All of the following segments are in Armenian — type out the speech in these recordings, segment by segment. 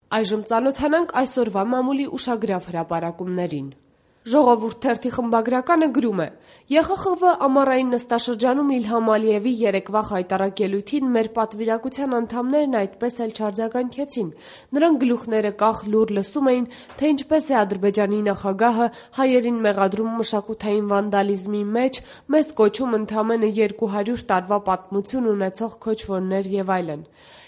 Այժմ ծանոթանանք այսօրվա մամուլի ուշագրավ հրապարակումներին։ Ժողովուրդ թերթի խմբագրականը գրում է. ԵԽԽՎ ամառային նստաշրջանում Իլհամ Ալիևի երեկվա հայտարարելույթին մեր պատվիրակության անդամներն այդպես էլ չարձագանքեցին։ Նրանք գլուխները կախ լուր լսում էին, թե ինչպես է Ադրբեջանի նախագահը հայերին մեղադրում մշակութային վանդալիզմի մեջ, մեզ կոչում ընդամենը 200 տարվա պատմություն ունեցող քոչվորներ եւ այլն։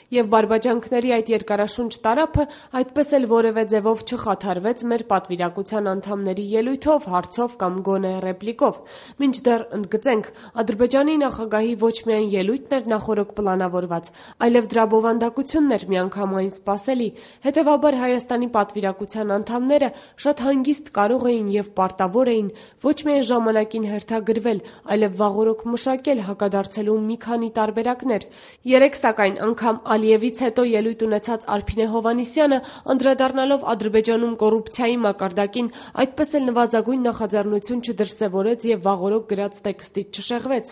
Եվ բարբաջանքների այդ երկարաշունչ տարափը այդպես էլ որևէ ձևով չխաթարվեց մեր պատվիրակության անդամների ելույթով, հարցով կամ գոնե ռեպլիկով։ Մինչդեռ ընդգծենք, Ադրբեջանի նախագահի ոչ միայն ելույթն էր նախօրոք պլանավորված, այլև դրա բովանդակությունն էր միանգամայն սպասելի։ Հետևաբար Հայաստանի պատվիրակության անդամները շատ հանգիստ կարող էին եւ պարտավոր էին ոչ միայն ժամանակին հերթագրվել, այլև վաղօրոք մշակել հակադարձելու մի քանի տարբերակներ։ Երեկ սակայն անգամ Ալիևից հետո ելույթ ունեցած Արփինե Հովհաննիսյանը, անդրադառնալով Ադրբեջանում կոռուպցիայի մակարդակին, այդպես էլ նվազագույն նախաձեռնություն չդրսևորեց եւ վաղօրոք գրած տեքստից չշեղվեց։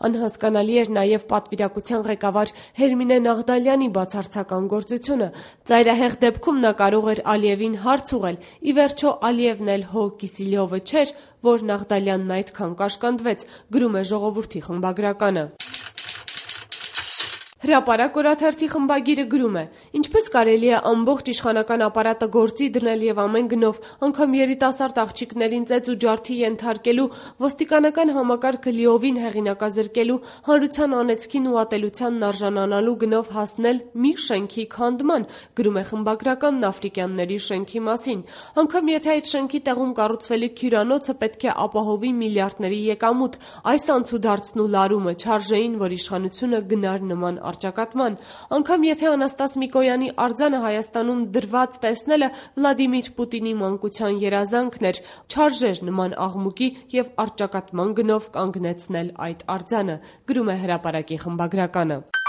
Անհասկանալի էր նաեւ պատվիրակության ղեկավար Հերմինե Նաղդալյանի բացարձական գործությունը։ Ծայրահեղ դեպքում նա կարող էր Ալիևին հարց ուղղել։ Ի վերջո Ալիևն էլ հո Կիսիլյովը չէր, որ Նաղդալյանն այդքան կաշկանդվեց, գրում է Ժողովուրդի խմբագրականը։ Հրապարակ օրաթերթի խմբագիրը գրում է. ինչպես կարելի է ամբողջ իշխանական ապարատը գործի դնել եւ ամեն գնով, անգամ երիտասարդ աղջիկներին ծեծ ու ջարդի ենթարկելու, ոստիկանական համակարգը լիովին հեղինակազրկելու, հանրության անեծքին ու ատելությանն արժանանալու գնով հասնել մի շենքի քանդման, գրում է խմբագրականն Աֆրիկյանների շենքի մասին։ Անգամ եթե այդ շենքի տեղում կառուցվելիք հյուրանոցը պետք է ապահովի միլիարդների եկամուտ, այս անցուդարձն ու լարումը չարժեին, որ իշխանությունը գնար նման առճակատման։ Անգամ եթե Անաստաս Միկոյանի արձանը Հայաստանում դրված տեսնելը Վլադիմիր Պուտինի մանկության երազանքն էր, չարժեր նման աղմուկի եւ առճակատման գնով կանգնեցնել այդ արձանը, գրում է Հրապարակի խմբագրականը։